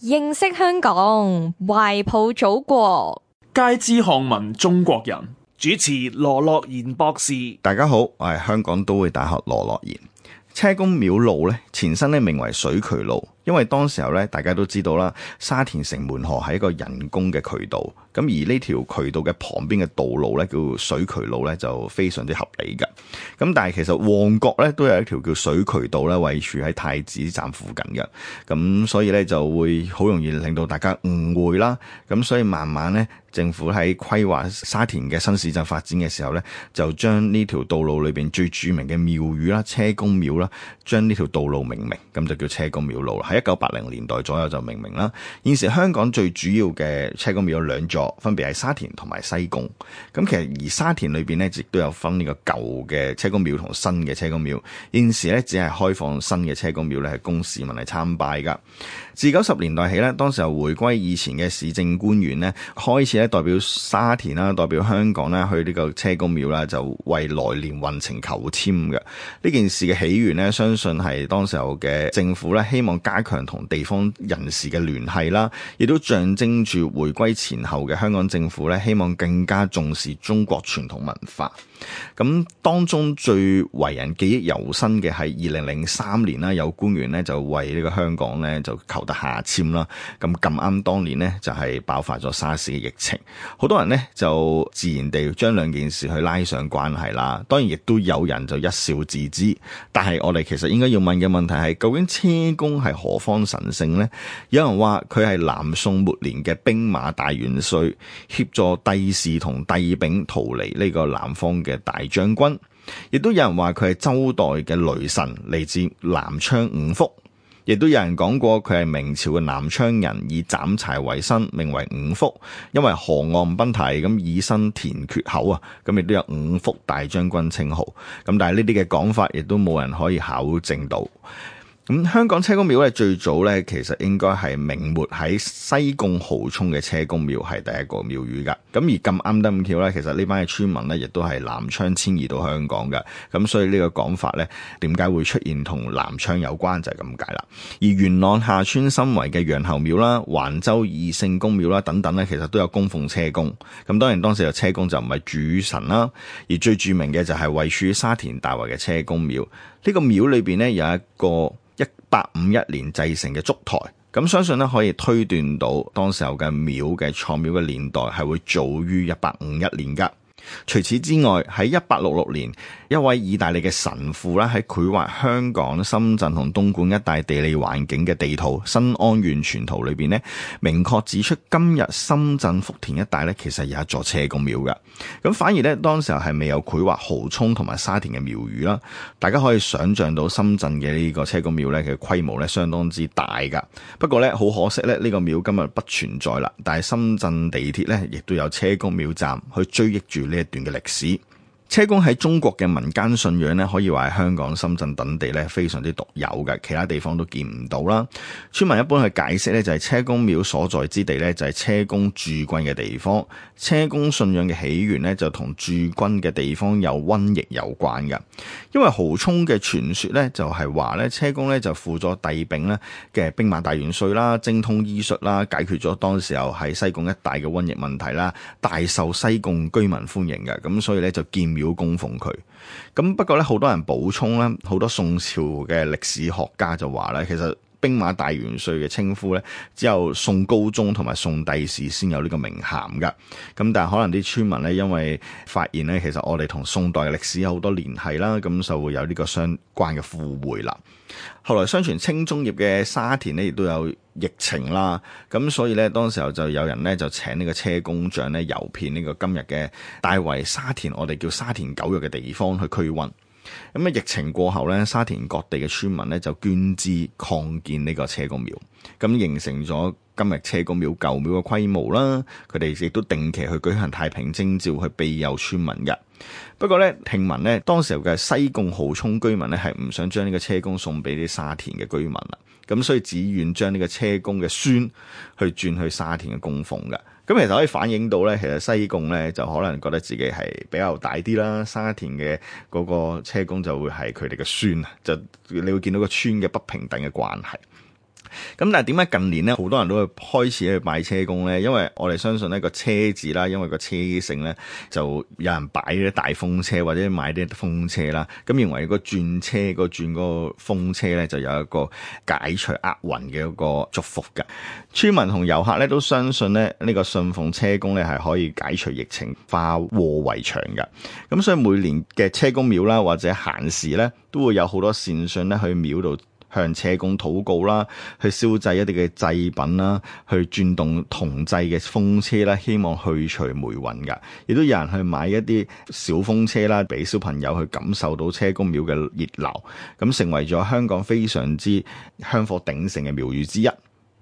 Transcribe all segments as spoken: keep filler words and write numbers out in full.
認識香港，懷抱祖國，皆知漢民中國人。主持羅樂賢博士。大家好，我係香港都會大學羅樂賢。車公廟路咧，前身咧名為水渠路，因為當時候咧大家都知道啦，沙田城門河係一個人工嘅渠道，咁而呢條渠道嘅旁邊嘅道路咧叫水渠路咧就非常之合理㗎。咁但係其實旺角咧都有一條叫水渠道咧，位處喺太子站附近嘅，咁所以咧就會好容易令到大家誤會啦。咁所以慢慢咧，政府喺規劃沙田嘅新市鎮發展嘅時候咧，就將呢條道路裏邊最著名嘅廟宇啦，車公廟啦，將呢條道路命名，咁就叫車公廟路啦。喺一九八零年代左右就命名啦。現時香港最主要嘅車公廟有兩座，分別係沙田同埋西貢。咁其實而沙田裏邊咧，亦都有分呢個舊嘅車公廟同新嘅車公廟。現時咧只係開放新嘅車公廟咧，係供市民嚟參拜噶。自九十年代起咧，當時候回歸以前嘅市政官員咧，開始咧代表沙田啦，代表香港啦，去呢個車公廟啦，就為來年運程求籤嘅。呢件事嘅起源咧，相信係當時候嘅政府咧，希望加強同地方人士嘅聯繫啦，亦都象徵住回歸前後嘅香港政府咧，希望更加重視中國傳統文化。咁當中最為人記憶猶新嘅係二零零三年啦，有官員咧就為呢個香港咧就求得下籤啦。咁咁啱當年呢，就係爆發咗沙士嘅疫情，好多人呢就自然地將兩件事去拉上關係啦。當然亦都有人就一笑置之，但係我哋其實應該要問嘅問題係，究竟車公係何方神聖呢？有人話佢係南宋末年嘅兵馬大元帥，協助帝氏同帝昺逃離呢個南方嘅大將軍，亦都有人話佢係周代嘅雷神，嚟自南昌五福，亦都有人講過佢係明朝嘅南昌人，以斬柴為生，名為五福，因為河岸奔蹄咁以身填缺口啊，咁亦都有五福大將軍稱號。咁但係呢啲嘅講法亦都冇人可以考證到。咁香港車公廟咧，最早咧其實應該係明末喺西貢蠔涌嘅車公廟係第一個廟宇噶。咁而咁啱得咁巧咧，其實呢班嘅村民咧亦都係南昌遷移到香港嘅。咁所以呢個講法咧，點解會出現同南昌有關就係咁解啦。而元朗下村心圍嘅楊侯廟啦、橫州二聖公廟啦等等咧，其實都有供奉車公。咁當然當時嘅車公就唔係主神啦，而最著名嘅就係位處沙田大圍嘅車公廟。呢、這個廟裏邊咧有一個一八五一年製成嘅燭台，咁相信咧可以推斷到當時候嘅廟嘅創廟嘅年代係會早於一八五一年噶。除此之外，喺一八六六年，一位意大利嘅神父咧喺繪畫香港、深圳同東莞一帶地理環境嘅地圖《新安縣全圖》裏邊咧，明確指出今日深圳福田一帶咧其實有一座車公廟嘅。咁反而咧當時候係未有繪畫蠔涌同埋沙田嘅廟宇啦。大家可以想象到深圳嘅呢個車公廟咧嘅規模咧相當之大噶。不過咧好可惜咧，呢個廟今日不存在啦。但係深圳地鐵咧亦都有車公廟站去追憶住呢一段嘅歷史。車公喺中國嘅民間信仰咧，可以話係香港、深圳等地咧非常之獨有嘅，其他地方都見唔到啦。村民一般去解釋咧，就係車公廟所在之地咧，就係車公駐軍嘅地方。車公信仰嘅起源咧，就同駐軍嘅地方有瘟疫有關嘅。因為蠔涌嘅傳說咧，就係話咧，車公咧就輔助帝昺咧嘅兵馬大元帥啦，精通醫術啦，解決咗當時候喺西貢一帶嘅瘟疫問題啦，大受西貢居民歡迎嘅。咁所以咧就建廟供奉佢。咁不過咧，好多人補充咧，好多宋朝嘅歷史學家就話咧，其實兵馬大元帥嘅稱呼咧，只有宋高宗同埋宋帝視先有呢個名銜噶。咁但係可能啲村民咧，因為發現咧，其實我哋同宋代嘅歷史有好多聯繫啦，咁就會有呢個相關嘅附會啦。後來相傳清中葉嘅沙田咧，亦都有疫情啦，咁所以咧，當時候就有人咧就請呢個車公像咧遊遍呢個今日嘅大圍沙田，我哋叫沙田九約嘅地方去驅瘟。咁啊，疫情過後咧，沙田各地嘅村民咧就捐資擴建呢個車公廟，咁形成咗今日車公廟舊廟嘅規模啦。佢哋亦都定期去舉行太平徵召去庇佑村民嘅。不過咧，聽聞咧，當時候嘅西貢蠔涌居民咧係唔想將呢個車公送俾啲沙田嘅居民啦，咁所以只願將呢個車公嘅孫去轉去沙田嘅供奉嘅。咁其實可以反映到咧，其實西貢咧就可能覺得自己係比較大啲啦，沙田嘅嗰個車公就會係佢哋嘅孫啊，就你會見到個村嘅不平等嘅關係。咁但係點解近年咧好多人都會開始去拜車公咧？因為我哋相信呢個車字啦，因為個車性咧就有人擺啲大風車或者買啲風車啦，咁認為個轉車個轉嗰個風車咧就有一個解除厄運嘅一個祝福㗎。村民同遊客咧都相信咧呢個信奉車公咧係可以解除疫情、化禍為祥㗎。咁所以每年嘅車公廟啦或者閒時咧都會有好多善信咧去廟度向車公禱告啦，去燒製一啲嘅祭品啦，去轉動銅製嘅風車啦，希望去除霉運噶。亦都有人去買一啲小風車啦，俾小朋友去感受到車公廟嘅熱鬧，咁成為咗香港非常之香火鼎盛嘅廟宇之一。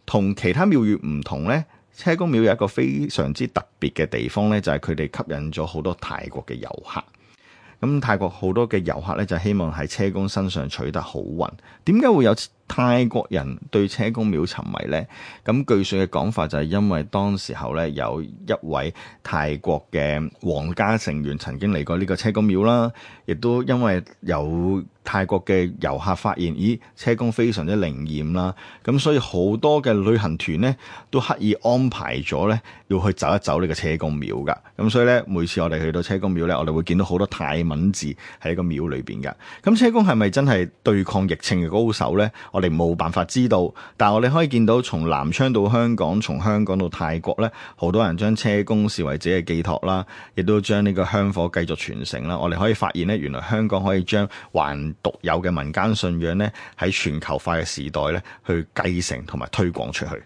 同其他廟宇唔同呢，車公廟有一個非常之特別嘅地方呢，就係佢哋吸引咗好多泰國嘅遊客。咁泰國好多嘅遊客咧，就希望喺車公身上取得好運。點解會有泰國人對車公廟沉迷呢？咁據說嘅講法就係因為當時候咧有一位泰國嘅皇家成員曾經嚟過呢個車公廟啦，亦都因為有泰國嘅遊客發現，咦，車公非常之靈驗啦，咁所以好多嘅旅行團呢都刻意安排咗咧要去走一走呢個車公廟噶。咁所以咧每次我哋去到車公廟咧，我哋會見到好多泰文字喺呢個廟裏邊噶。咁車公係咪真係對抗疫情嘅高手呢？我哋冇辦法知道，但係我哋可以見到從南昌到香港，從香港到泰國咧，好多人將車公視為自己嘅寄託啦，亦都將呢個香火繼續傳承啦。我哋可以發現咧，原來香港可以將還獨有嘅民間信仰咧，喺全球化嘅時代咧，去繼承同埋推廣出去。